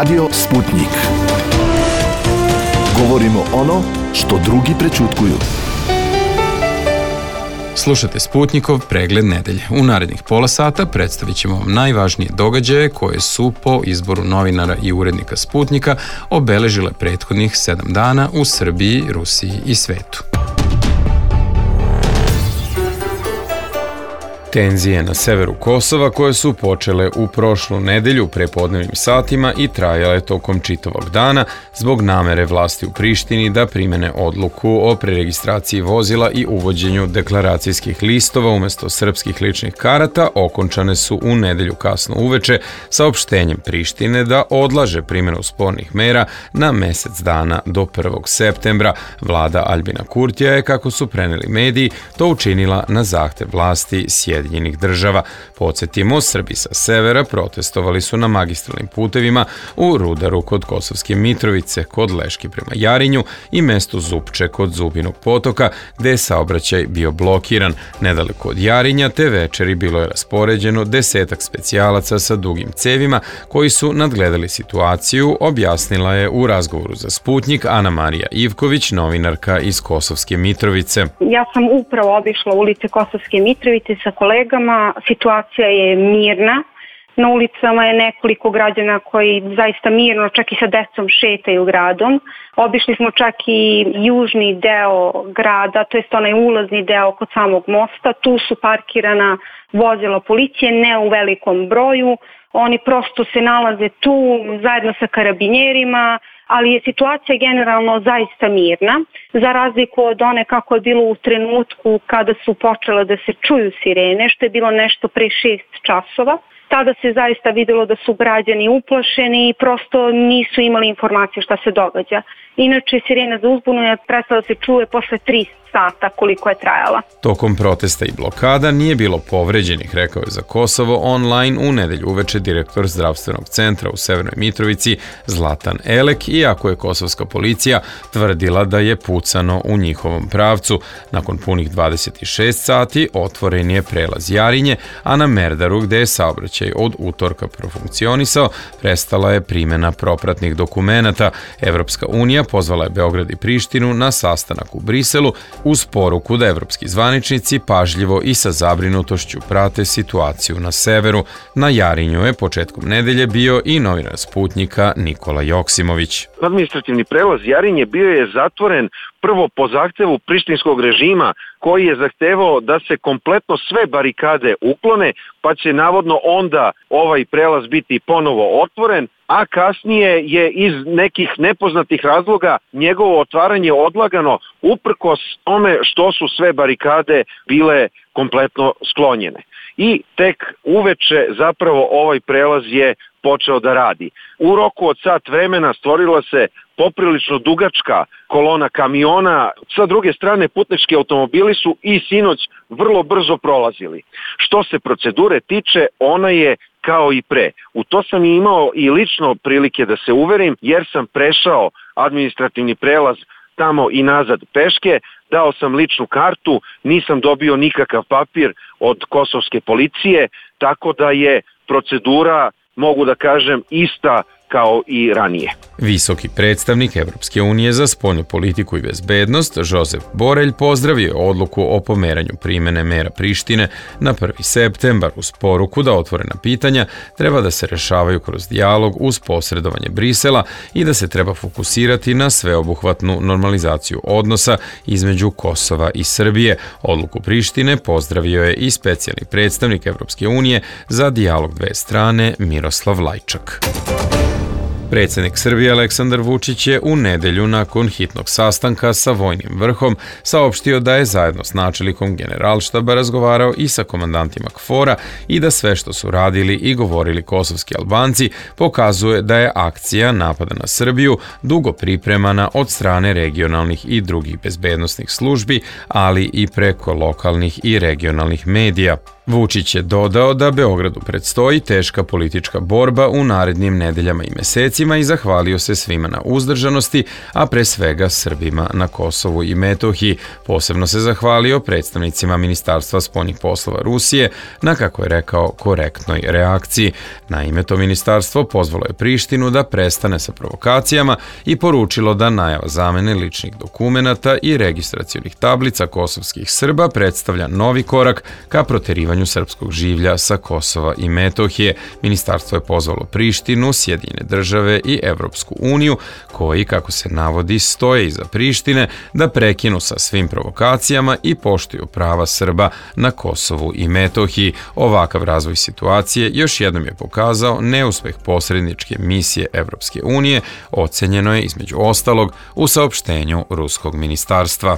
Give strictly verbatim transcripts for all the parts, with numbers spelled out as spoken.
Radio Sputnik. Govorimo ono što drugi prećutkuju. Slušajte Sputnikov pregled nedelje. U narednih pola sata predstavit ćemo vam najvažnije događaje koje su po izboru novinara i urednika Sputnika obeležile prethodnih sedam dana u Srbiji, Rusiji i svetu. Tenzije na severu Kosova koje su počele u prošlu nedelju prepodnevnim satima i trajale tokom čitavog dana zbog namere vlasti u Prištini da primene odluku o preregistraciji vozila i uvođenju deklaracijskih listova umesto srpskih ličnih karata okončane su u nedelju kasno uveče saopštenjem Prištine da odlaže primjenu spornih mera na mesec dana do prvog septembra. Vlada Aljbina Kurtija je, kako su preneli mediji, to učinila na zahtev vlasti Sjedinjenih država. Podsjetimo, Srbi sa severa protestovali su na magistralnim putevima u Rudaru kod Kosovske Mitrovice, kod Leški prema Jarinju i mestu Zupče kod Zubinog potoka, gde je saobraćaj bio blokiran. Nedaleko od Jarinja te večeri bilo je raspoređeno desetak specijalaca sa dugim cevima koji su nadgledali situaciju, objasnila je u razgovoru za Sputnik Ana Marija Ivković, novinarka iz Kosovske Mitrovice. Ja sam upravo obišla ulice Kosovske Mitrovice sa kolegama, situacija je mirna. Na ulicama je nekoliko građana koji zaista mirno, čak i sa decom, šetaju gradom. Obišli smo čak i južni deo grada, to jest onaj ulazni deo kod samog mosta. Tu su parkirana vozila policije, ne u velikom broju. Oni prosto se nalaze tu zajedno sa karabinjerima, ali je situacija generalno zaista mirna, za razliku od one kako je bilo u trenutku kada su počele da se čuju sirene, što je bilo nešto pre šest časova. Tada se zaista videlo da su građani uplašeni i prosto nisu imali informacije šta se događa. Inače, sirena za uzbunu je prestala da se čuje posle tri sata koliko je trajala. Tokom protesta i blokada nije bilo povređenih, rekao je za Kosovo online u nedelju uveče direktor zdravstvenog centra u Severnoj Mitrovici Zlatan Elek, iako je kosovska policija tvrdila da je pucano u njihovom pravcu. Nakon punih dvadeset šest sati otvoren je prelaz Jarinje, a na Merdaru, gde je saobraćaj od utorka profunkcionisao, prestala je primjena propratnih dokumenata. Evropska unija pozvala je Beograd i Prištinu na sastanak u Briselu uz poruku da evropski zvaničnici pažljivo i sa zabrinutošću prate situaciju na severu. Na Jarinju je početkom nedelje bio i novinar Sputnika Nikola Joksimović. Administrativni prelaz Jarinje bio je zatvoren prvo po zahtevu prištinskog režima koji je zahtevao da se kompletno sve barikade uklone, pa će navodno onda ovaj prelaz biti ponovo otvoren, a kasnije je iz nekih nepoznatih razloga njegovo otvaranje odlagano uprkos tome što su sve barikade bile kompletno sklonjene. I tek uveče zapravo ovaj prelaz je počeo da radi. U roku od sat vremena stvorila se poprilično dugačka kolona kamiona, sa druge strane putnički automobili su i sinoć vrlo brzo prolazili. Što se procedure tiče, ona je kao i pre. U to sam imao i lično prilike da se uverim, jer sam prešao administrativni prelaz tamo i nazad peške, dao sam ličnu kartu, nisam dobio nikakav papir od kosovske policije, tako da je procedura, mogu da kažem, ista kao i ranije. Visoki predstavnik Evropske unije za spoljnu politiku i bezbednost Josep Borelj pozdravio je odluku o pomeranju primene mera Prištine na prvi septembar uz poruku da otvorena pitanja treba da se rešavaju kroz dijalog uz posredovanje Brisela i da se treba fokusirati na sveobuhvatnu normalizaciju odnosa između Kosova i Srbije. Odluku Prištine pozdravio je i specijalni predstavnik Evropske unije za dijalog dve strane Miroslav Lajčak. Predsjednik Srbije Aleksandar Vučić je u nedelju nakon hitnog sastanka sa vojnim vrhom saopštio da je zajedno s načelnikom Generalštaba razgovarao i sa komandantima KFOR-a i da sve što su radili i govorili kosovski Albanci pokazuje da je akcija napada na Srbiju dugo pripremana od strane regionalnih i drugih bezbednosnih službi, ali i preko lokalnih i regionalnih medija. Vučić je dodao da Beogradu predstoji teška politička borba u narednim nedeljama i mesecima i zahvalio se svima na uzdržanosti, a pre svega Srbima na Kosovu i Metohiji. Posebno se zahvalio predstavnicima Ministarstva spoljnih poslova Rusije na, kako je rekao, korektnoj reakciji. Naime, to ministarstvo pozvalo je Prištinu da prestane sa provokacijama i poručilo da najava zamene ličnih dokumenata i registracionih tablica kosovskih Srba predstavlja novi korak ka proterivanju srpskog življa sa Kosova i Metohije. Ministarstvo je pozvalo Prištinu, Sjedinjene države i Evropsku uniju, koji, kako se navodi, stoje iza Prištine, da prekinu sa svim provokacijama i poštuju prava Srba na Kosovu i Metohiji. Ovakav razvoj situacije još jednom je pokazao neuspeh posredničke misije Evropske unije, ocenjeno je između ostalog u saopštenju ruskog ministarstva.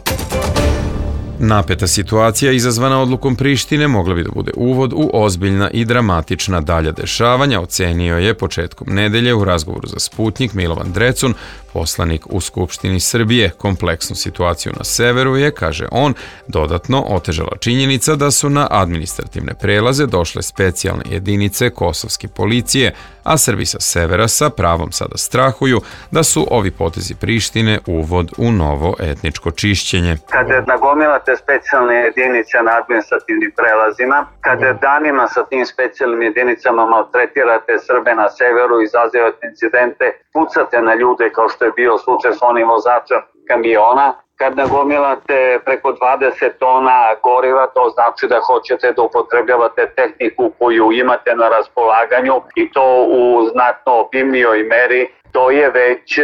Napeta situacija izazvana odlukom Prištine mogla bi da bude uvod u ozbiljna i dramatična dalja dešavanja, ocenio je početkom nedelje u razgovoru za Sputnjik Milovan Drecun, poslanik u Skupštini Srbije. Kompleksnu situaciju na severu je, kaže on, dodatno otežala činjenica da su na administrativne prelaze došle specijalne jedinice kosovske policije, a Srbi sa severa sa pravom sada strahuju da su ovi potezi Prištine uvod u novo etničko čišćenje. Kada nagomilate specijalne jedinice na administrativnim prelazima, kada danima sa tim specijalnim jedinicama maltretirate Srbe na severu, izazivate incidente, pucate na ljude kao što je bio slučaj s onim vozačem kamiona, kad nagomilate preko dvadeset tona goriva, to znači da hoćete da upotrebljavate tehniku koju imate na raspolaganju i to u znatno obimnijoj meri. To je već e,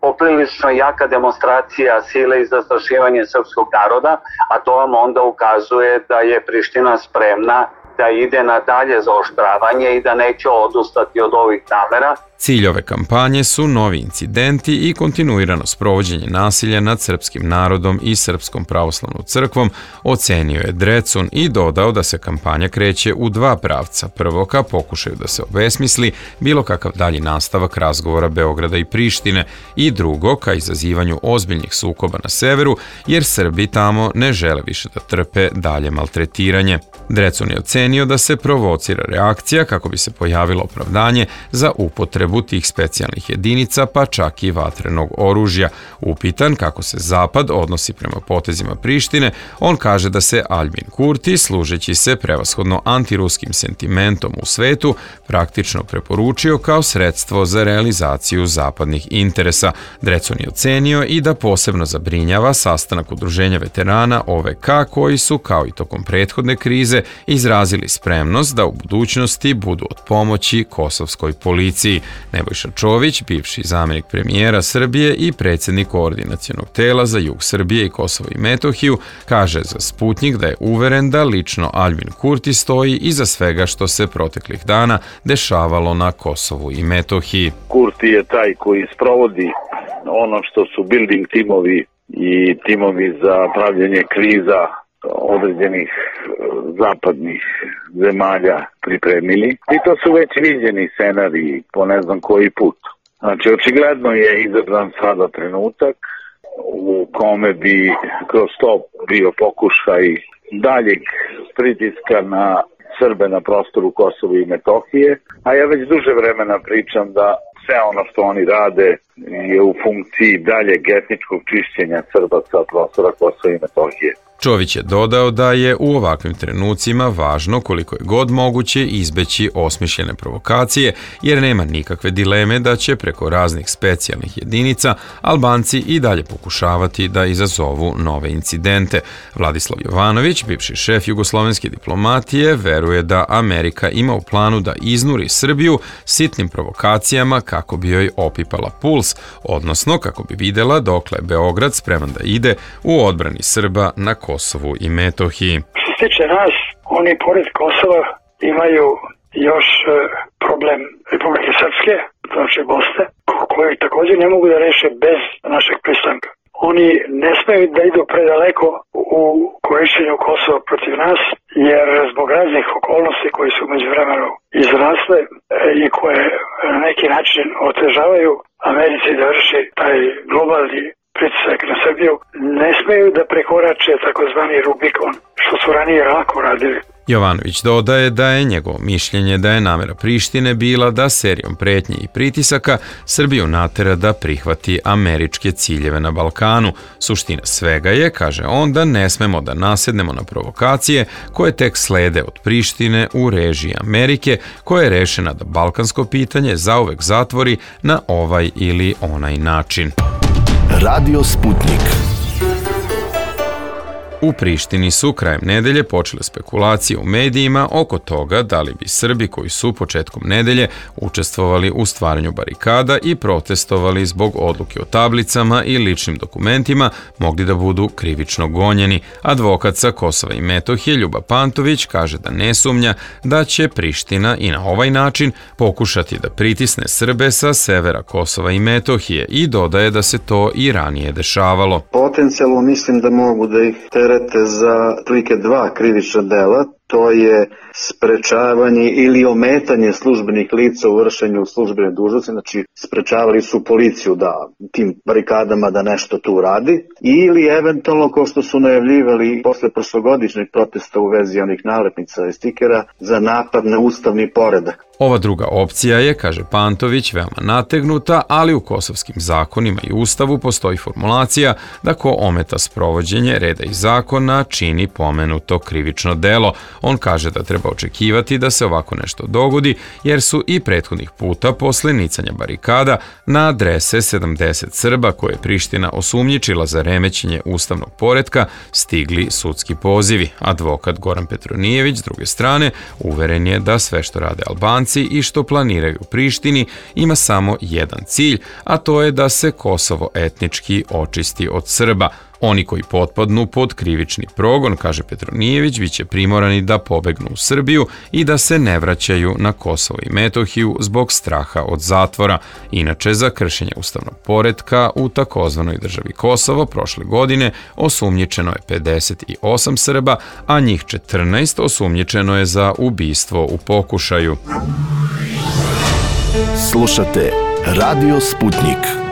poprilično jaka demonstracija sile i zastrašivanje srpskog naroda, a to vam onda ukazuje da je Priština spremna da ide na dalje zaoštravanje i da neće odustati od ovih namera. Cilj ove kampanje su novi incidenti i kontinuirano sprovođenje nasilja nad srpskim narodom i Srpskom pravoslavnom crkvom, ocenio je Drecun i dodao da se kampanja kreće u dva pravca. Prvo, ka pokušaju da se obesmisli bilo kakav dalji nastavak razgovora Beograda i Prištine, i drugo, ka izazivanju ozbiljnih sukoba na severu, jer Srbi tamo ne žele više da trpe dalje maltretiranje. Drecun je ocenio da se provocira reakcija kako bi se pojavilo opravdanje za upotrebu tih specijalnih jedinica, pa čak i vatrenog oružja. Upitan kako se Zapad odnosi prema potezima Prištine, on kaže da se Aljbin Kurti, služeći se prevashodno antiruskim sentimentom u svetu, praktično preporučio kao sredstvo za realizaciju zapadnih interesa. Drecun je ocenio i da posebno zabrinjava sastanak udruženja veterana O V K, koji su, kao i tokom prethodne krize, izrazili spremnost da u budućnosti budu od pomoći kosovskoj policiji. Nebojša Čović, bivši zamjenik premijera Srbije i predsjednik koordinacionog tela za jug Srbije i Kosovo i Metohiju, kaže za Sputnjik da je uveren da lično Aljbin Kurti stoji iza svega što se proteklih dana dešavalo na Kosovu i Metohiji. Kurti je taj koji sprovodi ono što su building timovi i timovi za pravljenje kriza određenih zapadnih zemalja pripremili. I to su već viđeni scenariji po ne znam koji put. Znači, očigledno je izabran sada trenutak u kome bi kroz to bio pokušaj daljeg pritiska na Srbe na prostoru Kosova i Metohije, a ja već duže vremena pričam da sve ono što oni rade je u funkciji daljeg etničkog čišćenja Srba sa prostora Kosova i Metohije. Čović je dodao da je u ovakvim trenucima važno koliko je god moguće izbeći osmišljene provokacije, jer nema nikakve dileme da će preko raznih specijalnih jedinica Albanci i dalje pokušavati da izazovu nove incidente. Vladislav Jovanović, bivši šef jugoslovenske diplomatije, veruje da Amerika ima u planu da iznuri Srbiju sitnim provokacijama kako bi joj opipala puls, odnosno kako bi videla dokle je Beograd spreman da ide u odbrani Srba na Kosovu i Metohiji. Što se tiče nas, oni pored Kosova imaju još problem Republike Srpske, znači Bosne, koji također ne mogu da reše bez našeg pristanka. Oni ne smeju da idu predaleko u korišćenju Kosova protiv nas, jer zbog raznih okolnosti koji su među vremenu izrasle i koje na neki način otežavaju Americi da vrši taj globalni pritisak na Srbiju, ne smeju da prekorače takozvani Rubikon, što su ranije lako radili. Jovanović dodaje da je njegovo mišljenje da je namera Prištine bila da serijom pretnji i pritisaka Srbiju natera da prihvati američke ciljeve na Balkanu. Suština svega je, kaže on, da ne smemo da nasednemo na provokacije koje tek slede od Prištine u režiji Amerike, koja je rešena da balkansko pitanje zauvek zatvori na ovaj ili onaj način. Radio Sputnik. U Prištini su krajem nedelje počele spekulacije u medijima oko toga da li bi Srbi koji su početkom nedelje učestvovali u stvaranju barikada i protestovali zbog odluke o tablicama i ličnim dokumentima mogli da budu krivično gonjeni. Advokat sa Kosova i Metohije Ljuba Pantović kaže da ne sumnja da će Priština i na ovaj način pokušati da pritisne Srbe sa severa Kosova i Metohije i dodaje da se to i ranije dešavalo. Potencijalno mislim da mogu da ih terete za prilike dva krivična dela, to je sprečavanje ili ometanje službenih lica u vršenju službene dužnosti, znači sprečavali su policiju da tim barikadama da nešto tu radi, ili eventualno, kao što su najavljivali posle prošlogodišnjeg protesta u vezi onih nalepnica i stikera, za napad na ustavni poredak. Ova druga opcija je, kaže Pantović, veoma nategnuta, ali u kosovskim zakonima i ustavu postoji formulacija da ko ometa sprovođenje reda i zakona čini pomenuto krivično delo. On kaže da treba očekivati da se ovako nešto dogodi, jer su i prethodnih puta posle nicanja barikada na adrese sedamdeset Srba koje je Priština osumnjičila za remećenje ustavnog poretka stigli sudski pozivi. Advokat Goran Petronijević, s druge strane, uveren je da sve što rade Albanci i što planiraju u Prištini ima samo jedan cilj, a to je da se Kosovo etnički očisti od Srba. Oni koji potpadnu pod krivični progon, kaže Petronijević, biće primorani da pobegnu u Srbiju i da se ne vraćaju na Kosovo i Metohiju zbog straha od zatvora. Inače, za kršenje ustavnog poretka u takozvanoj državi Kosovo prošle godine osumnjičeno je pedeset osam Srba, a njih četrnaest osumnjičeno je za ubistvo u pokušaju. Slušate Radio Sputnik.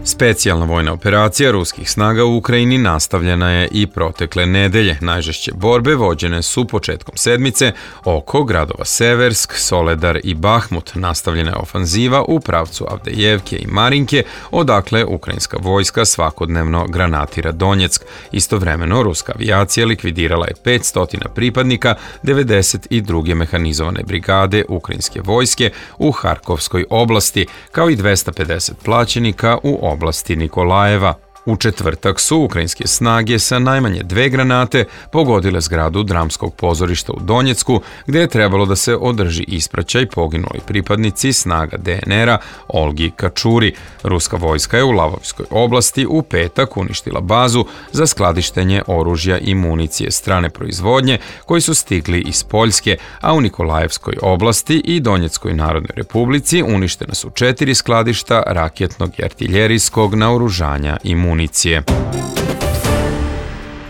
Specijalna vojna operacija ruskih snaga u Ukrajini nastavljena je i protekle nedelje. Najžešće borbe vođene su početkom sedmice oko gradova Seversk, Soledar i Bahmut. Nastavljena je ofanziva u pravcu Avdejevke i Marinke, odakle ukrajinska vojska svakodnevno granatira Donjeck. Istovremeno, ruska avijacija likvidirala je petsto pripadnika devedeset druge mehanizovane brigade ukrajinske vojske u Harkovskoj oblasti, kao i dvesta pedeset plaćenika u oblasti oblasti Nikolajeva. U četvrtak su ukrajinske snage sa najmanje dve granate pogodile zgradu dramskog pozorišta u Donjecku, gde je trebalo da se održi ispraćaj poginuli pripadnici snaga de en era Olgi Kačuri. Ruska vojska je u Lavovskoj oblasti u petak uništila bazu za skladištenje oružja i municije strane proizvodnje koji su stigli iz Poljske, a u Nikolajevskoj oblasti i Donjeckoj narodnoj republici uništena su četiri skladišta raketnog i artiljerijskog naoružanja i municije.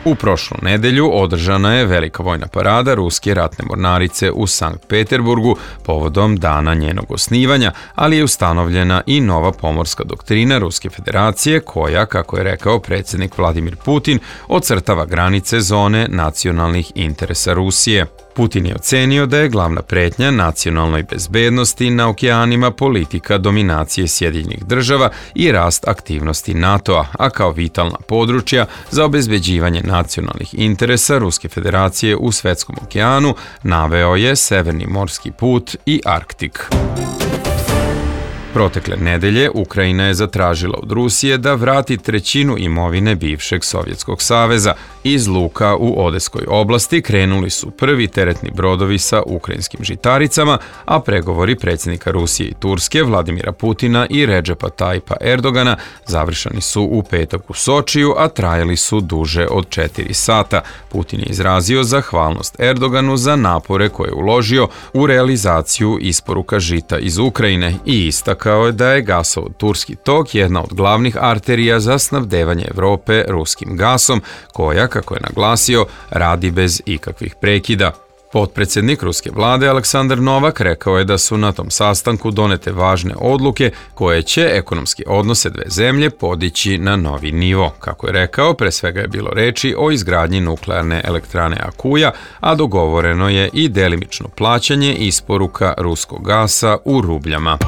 U prošlu nedelju održana je velika vojna parada ruske ratne mornarice u Sankt Peterburgu povodom dana njenog osnivanja, ali je ustanovljena i nova pomorska doktrina Ruske federacije koja, kako je rekao predsjednik Vladimir Putin, ocrtava granice zone nacionalnih interesa Rusije. Putin je ocenio da je glavna pretnja nacionalnoj bezbednosti na okeanima politika dominacije Sjedinjenih država i rast aktivnosti NATO-a, a kao vitalna područja za obezbeđivanje nacionalnih interesa Ruske federacije u svetskom okeanu naveo je Severni morski put i Arktik. Protekle nedelje Ukrajina je zatražila od Rusije da vrati trećinu imovine bivšeg Sovjetskog saveza. Iz luka u Odeskoj oblasti krenuli su prvi teretni brodovi sa ukrajinskim žitaricama, a pregovori predsjednika Rusije i Turske Vladimira Putina i Redžepa Tajpa Erdogana završeni su u petak u Sočiju, a trajali su duže od četiri sata. Putin je izrazio zahvalnost Erdoganu za napore koje je uložio u realizaciju isporuka žita iz Ukrajine i istakao je da je gasovod Turski tok jedna od glavnih arterija za snabdevanje Evrope ruskim gasom, koja, kako je naglasio, radi bez ikakvih prekida. Potpredsjednik ruske vlade Aleksandar Novak rekao je da su na tom sastanku donete važne odluke koje će ekonomske odnose dve zemlje podići na novi nivo. Kako je rekao, pre svega je bilo reči o izgradnji nuklearne elektrane Akuja, a dogovoreno je i delimično plaćanje isporuka ruskog gasa u rubljama.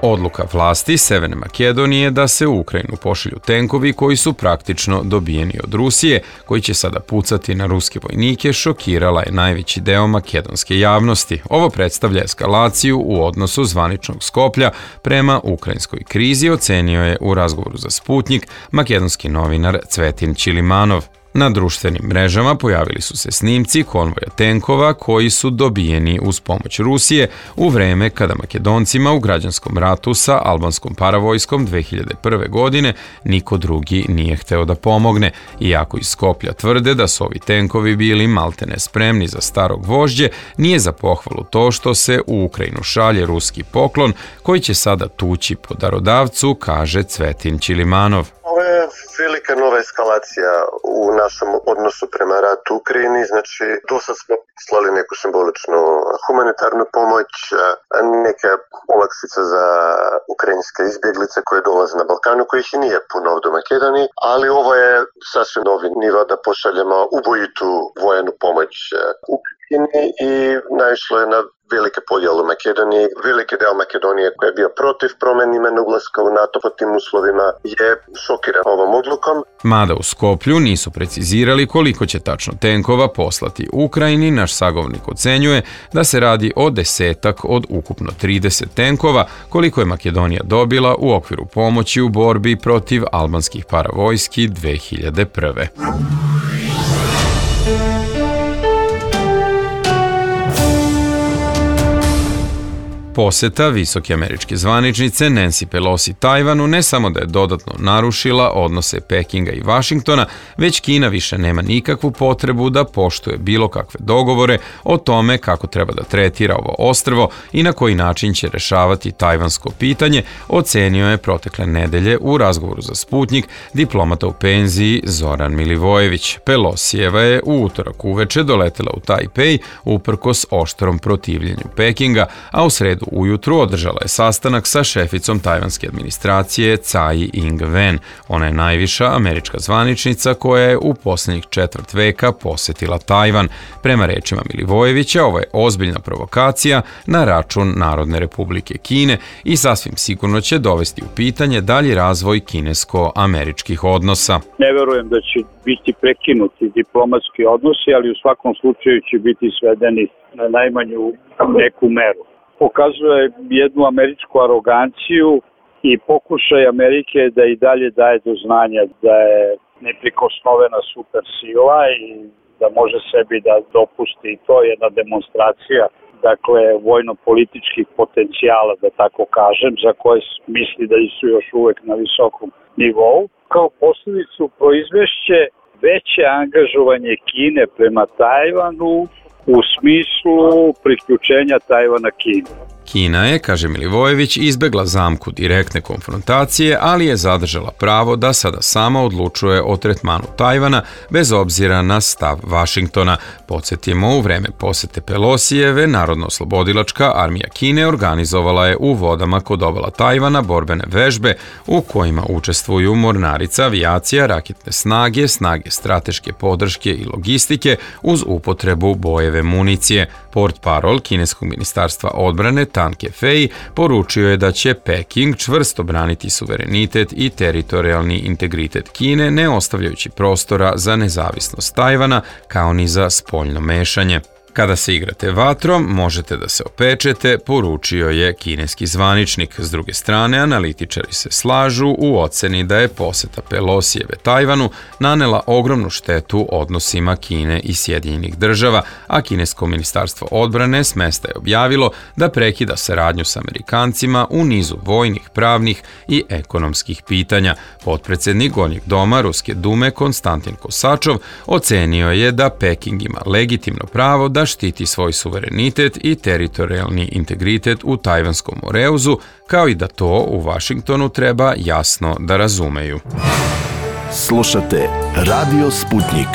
Odluka vlasti Severne Makedonije da se u Ukrajinu pošalju tenkovi koji su praktično dobijeni od Rusije, koji će sada pucati na ruske vojnike, šokirala je najveći deo makedonske javnosti. Ovo predstavlja eskalaciju u odnosu zvaničnog Skoplja prema ukrajinskoj krizi, ocenio je u razgovoru za Sputnik makedonski novinar Cvetin Čilimanov. Na društvenim mrežama pojavili su se snimci konvoja tenkova koji su dobijeni uz pomoć Rusije u vreme kada Makedoncima u građanskom ratu sa albanskom paravojskom dve hiljade prve. godine niko drugi nije hteo da pomogne, iako iz Skoplja tvrde da su ovi tenkovi bili maltene spremni za starog vožđe, nije za pohvalu to što se u Ukrajinu šalje ruski poklon koji će sada tući po darodavcu, kaže Cvetin Čilimanov. Ovo je velika nova eskalacija u našem odnosu prema ratu u Ukrajini, znači do sad smo slali neku simboličnu humanitarnu pomoć, neke olakšice za ukrajinske izbjeglice koje dolaze na Balkanu, kojih i nije puno ovdje u Makedoniji, ali ovo je sasvim novi nivo da pošaljemo ubojitu vojnu pomoć Ukrajini i naišlo je na velike podjele u Makedoniji. Veliki deo Makedonije koji je bio protiv promjene imena ulaska u NATO pod tim uslovima je šokiran ovom odlukom. Mada u Skoplju nisu precizirali koliko će tačno tenkova poslati Ukrajini, naš sagovornik ocenjuje da se radi o desetak od ukupno trideset tenkova koliko je Makedonija dobila u okviru pomoći u borbi protiv albanskih paravojski dve hiljade prve. Poseta visoke američke zvaničnice Nancy Pelosi Tajvanu ne samo da je dodatno narušila odnose Pekinga i Vašingtona, već Kina više nema nikakvu potrebu da poštuje bilo kakve dogovore o tome kako treba da tretira ovo ostrvo i na koji način će rešavati tajvansko pitanje, ocenio je protekle nedelje u razgovoru za Sputnik diplomata u penziji Zoran Milivojević. Pelosijeva je u utorak uveče doletela u Tajpej uprkos oštrom protivljenju Pekinga, a u sredu ujutru održala je sastanak sa šeficom tajvanske administracije Tsai Ing-wen. Ona je najviša američka zvaničnica koja je u posljednjih četvrt veka posetila Tajvan. Prema rečima Milivojevića, ovo je ozbiljna provokacija na račun Narodne republike Kine i sasvim sigurno će dovesti u pitanje dalji razvoj kinesko-američkih odnosa. Ne verujem da će biti prekinuti diplomatski odnosi, ali u svakom slučaju će biti svedeni na najmanju neku meru. Pokazuje jednu američku aroganciju i pokušaj Amerike da i dalje daje do znanja da je neprikosnovena supersila i da može sebi da dopusti i to je jedna demonstracija, dakle, vojno-političkih potencijala, da tako kažem, za koje misli da su još uvek na visokom nivou. Kao posljedicu proizvešće veće angažovanje Kine prema Tajvanu u smislu priključenja Tajvana Kini. Kina je, kaže Milivojević, izbegla zamku direktne konfrontacije, ali je zadržala pravo da sada sama odlučuje o tretmanu Tajvana bez obzira na stav Vašingtona. Podsjetimo, u vreme posete Pelosijeve, Narodno-oslobodilačka armija Kine organizovala je u vodama kod obala Tajvana borbene vežbe u kojima učestvuju mornarica, avijacija, raketne snage, snage strateške podrške i logistike uz upotrebu bojeve municije. Portparol kineskog ministarstva odbrane Tan Kefei poručio je da će Peking čvrsto braniti suverenitet i teritorijalni integritet Kine, ne ostavljajući prostora za nezavisnost Tajvana kao ni za spoljno mešanje. Kada se igrate vatrom, možete da se opečete, poručio je kineski zvaničnik. S druge strane, analitičari se slažu u oceni da je poseta Pelosijeve Tajvanu nanela ogromnu štetu odnosima Kine i Sjedinjenih država, a kinesko ministarstvo odbrane s mesta je objavilo da prekida saradnju s Amerikancima u nizu vojnih, pravnih i ekonomskih pitanja. Potpredsjednik Gornjeg doma Ruske dume Konstantin Kosačov ocenio je da Peking ima legitimno pravo da štiti svoj suverenitet i teritorijalni integritet u Tajvanskom moreuzu, kao i da to u Vašingtonu treba jasno da razumeju. Slušate Radio Sputnik.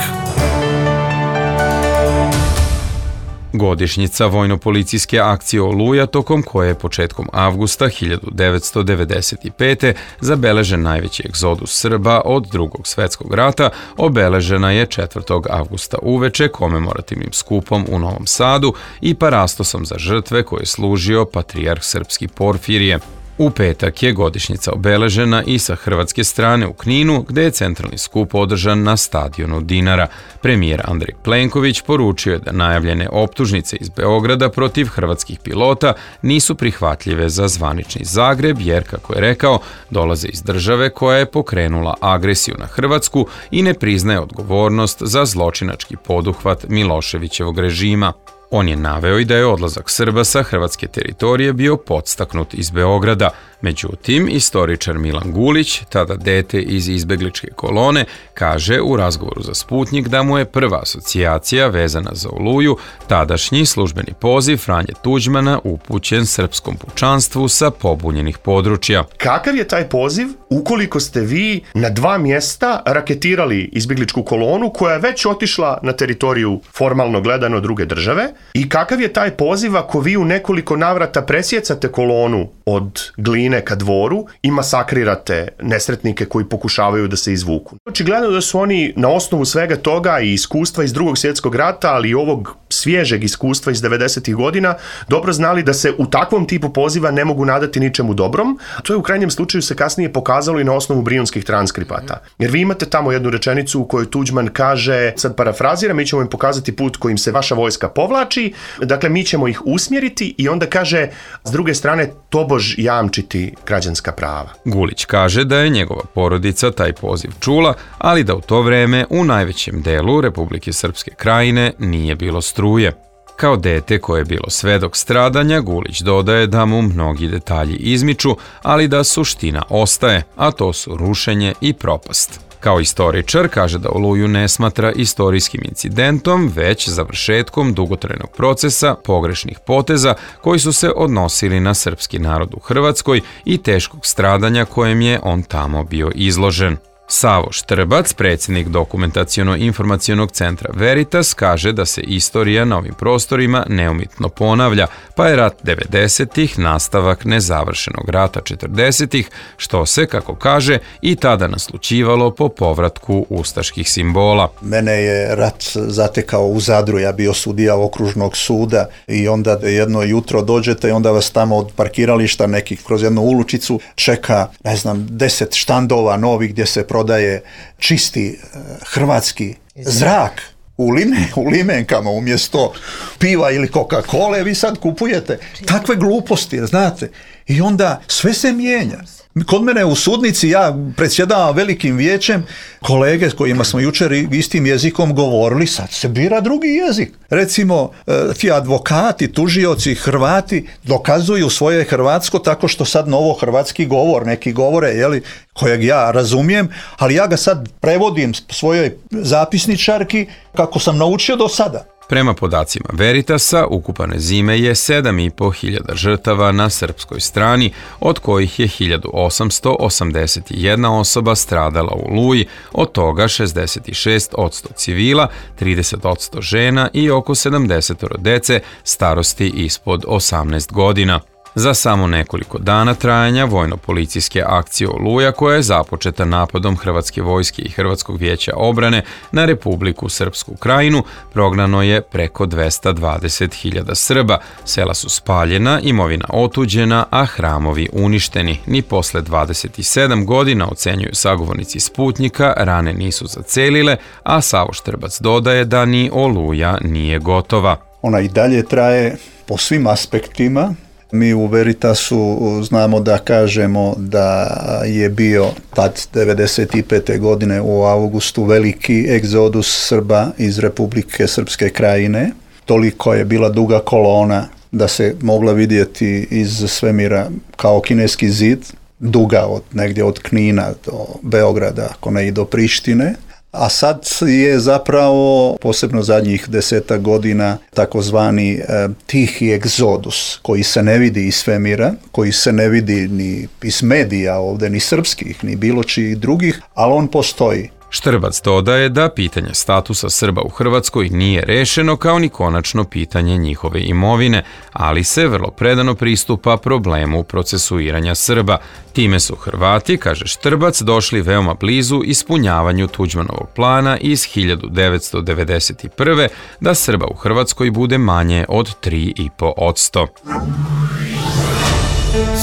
Godišnjica vojno-policijske akcije Oluja, tokom koje je početkom avgusta hiljadu devetsto devedeset pete. zabeležen najveći egzodus Srba od Drugog svetskog rata, obeležena je četvrtog avgusta uveče komemorativnim skupom u Novom Sadu i parastosom za žrtve koje je služio patrijarh srpski Porfirije. U petak je godišnjica obeležena i sa hrvatske strane u Kninu, gde je centralni skup održan na stadionu Dinara. Premijer Andrej Plenković poručio je da najavljene optužnice iz Beograda protiv hrvatskih pilota nisu prihvatljive za zvanični Zagreb, jer, kako je rekao, dolaze iz države koja je pokrenula agresiju na Hrvatsku i ne priznaje odgovornost za zločinački poduhvat Miloševićevog režima. On je naveo i da je odlazak Srba sa hrvatske teritorije bio podstaknut iz Beograda. Međutim, istoričar Milan Gulić, tada dete iz izbegličke kolone, kaže u razgovoru za Sputnik da mu je prva asocijacija vezana za Oluju tadašnji službeni poziv Franje Tuđmana upućen srpskom pučanstvu sa pobunjenih područja. Kakav je taj poziv ukoliko ste vi na dva mjesta raketirali izbegličku kolonu koja je već otišla na teritoriju formalno gledano druge države? I kakav je taj poziv ako vi u nekoliko navrata presjecate kolonu od Gline ka Dvoru i masakrirate nesretnike koji pokušavaju da se izvuku? Očigledno da su oni na osnovu svega toga i iskustva iz Drugog svjetskog rata, ali i ovog svježeg iskustva iz devedesetih godina, dobro znali da se u takvom tipu poziva ne mogu nadati ničemu dobrom. To je u krajnjem slučaju se kasnije pokazalo i na osnovu brijunskih transkripata. Jer vi imate tamo jednu rečenicu u kojoj Tuđman kaže, sad parafraziram, mi ćemo im pokazati put kojim se vaša vojska povlači, dakle mi ćemo ih usmjeriti, i onda kaže, s druge strane, tobož jamčiti građanska prava. Gulić kaže da je njegova porodica taj poziv čula, ali da u to vreme u najvećem delu Republike Srpske Krajine nije bilo struje. Kao dete koje je bilo svedok stradanja, Gulić dodaje da mu mnogi detalji izmiču, ali da suština ostaje, a to su rušenje i propast. Kao istoričar kaže da Oluju ne smatra istorijskim incidentom, već završetkom dugotrajnog procesa pogrešnih poteza koji su se odnosili na srpski narod u Hrvatskoj i teškog stradanja kojem je on tamo bio izložen. Savo Štrbac, predsjednik Dokumentaciono-informacionog centra Veritas, kaže da se istorija na ovim prostorima neumitno ponavlja, pa je rat devedesetih nastavak nezavršenog rata četrdesetih, što se, kako kaže, i tada naslućivalo po povratku ustaških simbola. Mene je rat zatekao u Zadru, ja bio sudija okružnog suda, i onda jedno jutro dođete i onda vas tamo od parkirališta nekih kroz jednu uličicu čeka, ne znam, deset štandova novih gdje se prodaje čisti hrvatski zrak u, lime, u limenkama umjesto piva ili Coca-Cola, vi sad kupujete takve gluposti, znate, i onda sve se mijenja. Kod mene u sudnici, ja predsjedavam velikim vijećem, kolege s kojima smo jučer istim jezikom govorili, sad se bira drugi jezik. Recimo, ti advokati, tužioci, Hrvati dokazuju svoje hrvatsko tako što sad novo hrvatski govor, neki govore, jeli, kojeg ja razumijem, ali ja ga sad prevodim svojoj zapisničarki kako sam naučio do sada. Prema podacima Veritasa, ukupane zime je sedam i po hiljada žrtava na srpskoj strani, od kojih je hiljadu osamsto osamdeset jedna osoba stradala u Oluji, od toga šezdeset šest posto civila, trideset posto žena i oko sedamdeset dece starosti ispod osamnaest godina. Za samo nekoliko dana trajanja vojno-policijske akcije Oluja, koja je započeta napadom Hrvatske vojske i Hrvatskog vijeća obrane na Republiku Srpsku Krajinu, prognano je preko dvesta dvadeset hiljada Srba, sela su spaljena, imovina otuđena, a hramovi uništeni. Ni posle dvadeset sedam godina, ocenjuju sagovornici Sputnika, rane nisu zacelile, a Savo Štrbac dodaje da ni Oluja nije gotova. Ona i dalje traje po svim aspektima. Mi u Veritasu znamo da kažemo da je bio tad devedeset pete. godine u avgustu veliki egzodus Srba iz Republike Srpske Krajine. Toliko je bila duga kolona da se mogla vidjeti iz svemira kao kineski zid, duga od negdje od Knina do Beograda, ako ne i do Prištine. A sad je zapravo, posebno zadnjih deseta godina, takozvani e, tihi egzodus, koji se ne vidi iz svemira, koji se ne vidi ni iz medija ovdje, ni srpskih, ni bilo čijih drugih, ali on postoji. Štrbac dodaje da pitanje statusa Srba u Hrvatskoj nije rešeno kao ni konačno pitanje njihove imovine, ali se vrlo predano pristupa problemu procesuiranja Srba. Time su Hrvati, kaže Štrbac, došli veoma blizu ispunjavanju Tuđmanovog plana iz hiljadu devetsto devedeset prve. da Srba u Hrvatskoj bude manje od tri i po posto.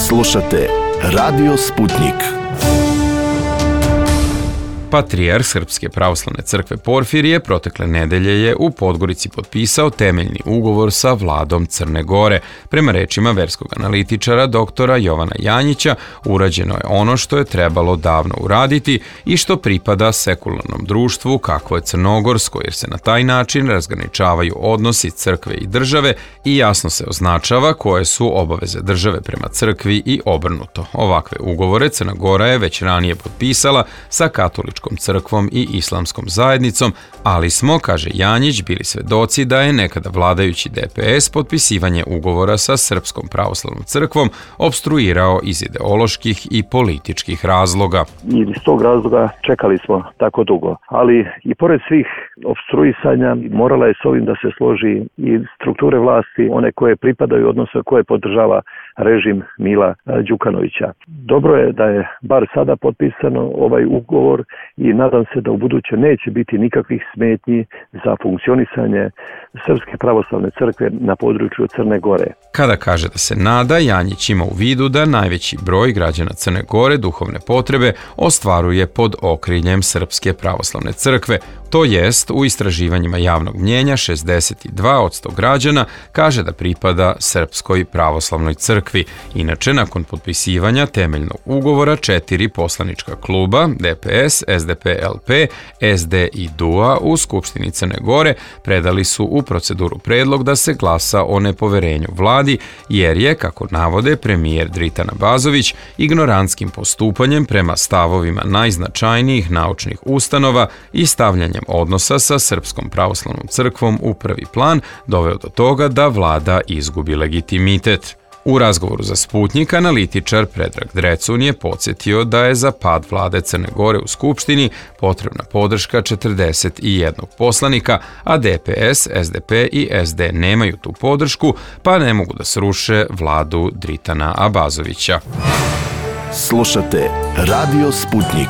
Slušate Radio Sputnik. Patrijarh Srpske pravoslavne crkve Porfirije protekle nedelje je u Podgorici potpisao temeljni ugovor sa vladom Crne Gore. Prema rečima verskog analitičara doktora Jovana Janjića, urađeno je ono što je trebalo davno uraditi i što pripada sekularnom društvu kakvo je crnogorsko, jer se na taj način razgraničavaju odnosi crkve i države i jasno se označava koje su obaveze države prema crkvi i obrnuto. Ovakve ugovore Crna Gora je već ranije potpisala sa katoličkom crkvom i islamskom zajednicom, ali smo, kaže Janjić, bili svedoci da je nekada vladajući D P S potpisivanje ugovora sa Srpskom pravoslavnom crkvom obstruirao iz ideoloških i političkih razloga. I iz tog razloga čekali smo tako dugo, ali i pored svih obstruisanja morala je s ovim da se složi i strukture vlasti, one koje pripadaju, odnosno koje podržava režim Mila Đukanovića. Dobro je da je bar sada potpisano ovaj ugovor i nadam se da u buduće neće biti nikakvih smetnji za funkcionisanje Srpske pravoslavne crkve na području Crne Gore. Kada kaže da se nada, Janjić ima u vidu da najveći broj građana Crne Gore duhovne potrebe ostvaruje pod okriljem Srpske pravoslavne crkve. To jest, u istraživanjima javnog mnjenja šezdeset dva posto građana kaže da pripada Srpskoj pravoslavnoj crkvi. Inače, nakon potpisivanja temeljnog ugovora, četiri poslanička kluba, D P S, S D P L P, S D i D U A u Skupštini Crne Gore predali su u proceduru predlog da se glasa o nepoverenju vladi, jer je, kako navode premijer Dritan Abazović, ignorantskim postupanjem prema stavovima najznačajnijih naučnih ustanova i stavljanjem odnosa sa Srpskom pravoslavnom crkvom u prvi plan doveo do toga da vlada izgubi legitimitet. U razgovoru za Sputnik analitičar Predrag Drecun je podsjetio da je za pad vlade Crne Gore u Skupštini potrebna podrška četrdeset jednog poslanika, a D P S, S D P i S D nemaju tu podršku, pa ne mogu da sruše vladu Dritana Abazovića. Slušate Radio Sputnik.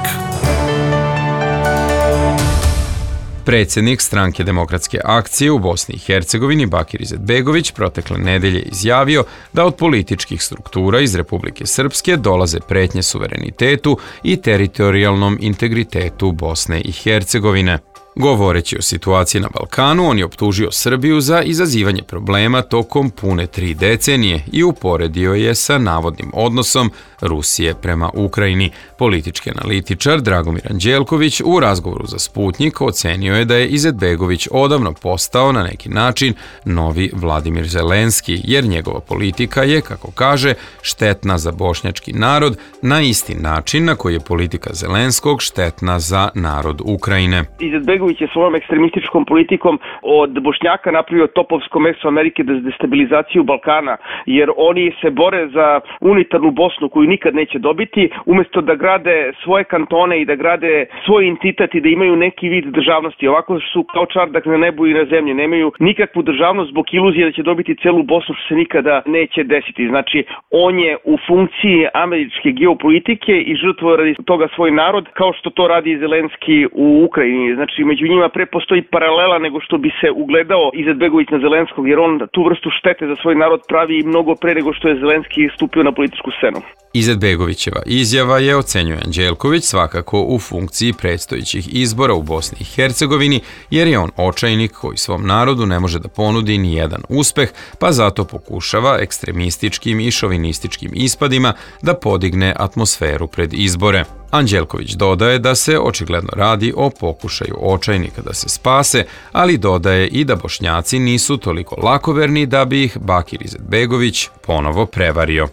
Predsjednik Stranke demokratske akcije u Bosni i Hercegovini Bakir Izetbegović protekle nedelje izjavio da od političkih struktura iz Republike Srpske dolaze pretnje suverenitetu i teritorijalnom integritetu Bosne i Hercegovine. Govoreći o situaciji na Balkanu, on je optužio Srbiju za izazivanje problema tokom pune tri decenije i uporedio je sa navodnim odnosom Rusije prema Ukrajini. Politički analitičar Dragomir Anđelković u razgovoru za Sputnik ocenio je da je Izetbegović odavno postao na neki način novi Vladimir Zelenski, jer njegova politika je, kako kaže, štetna za bošnjački narod na isti način na koji je politika Zelenskog štetna za narod Ukrajine. Izetbegović je svojom ekstremističkom politikom od Bošnjaka napravio topovsko meso Amerike za destabilizaciju Balkana, jer oni se bore za unitarnu Bosnu koju nikad neće dobiti, umjesto da grade svoje kantone i da grade svoj entitet i da imaju neki vid državnosti. Ovako su kao čardak na nebu i na zemlji, nemaju nikakvu državnost zbog iluzije da će dobiti celu Bosnu, što se nikada neće desiti. Znači, on je u funkciji američke geopolitike i žrtvuje radi toga svoj narod, kao što to radi Zelenski u Ukrajini. Znači, među njima pre postoji paralela nego što bi se ugledao Izetbegović na Zelenskog, jer on tu vrstu štete za svoj narod pravi mnogo pre nego što je Zelenski stupio na političku scenu. Izetbegovićeva izjava je, ocenjuje Anđelković, svakako u funkciji predstojećih izbora u Bosni i Hercegovini, jer je on očajnik koji svom narodu ne može da ponudi ni jedan uspeh, pa zato pokušava ekstremističkim i šovinističkim ispadima da podigne atmosferu pred izbore. Anđelković dodaje da se očigledno radi o pokušaju očajnika da se spase, ali dodaje i da Bošnjaci nisu toliko lakoverni da bi ih Bakir Izetbegović ponovo prevario.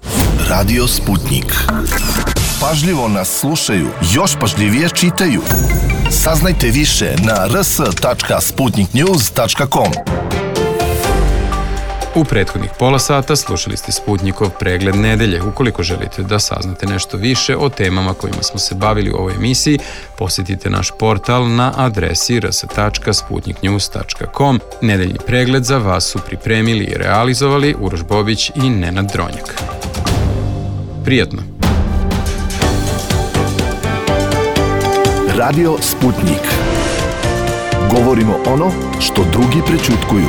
Radio Sputnik. Pažljivo nas slušaju, još pažljivije čitaju. Saznajte više na r s tačka sputnik news tačka com. U prethodnih pola sata slušali ste Sputnikov pregled nedelje. Ukoliko želite da saznate nešto više o temama kojima smo se bavili u ovoj emisiji, posjetite naš portal na adresi r s tačka sputnik news tačka com. Nedeljni pregled za vas su pripremili i realizovali Uroš Bobić i Nenad Dronjak. Prijatno! Radio Sputnik. Govorimo ono što drugi prećutkuju.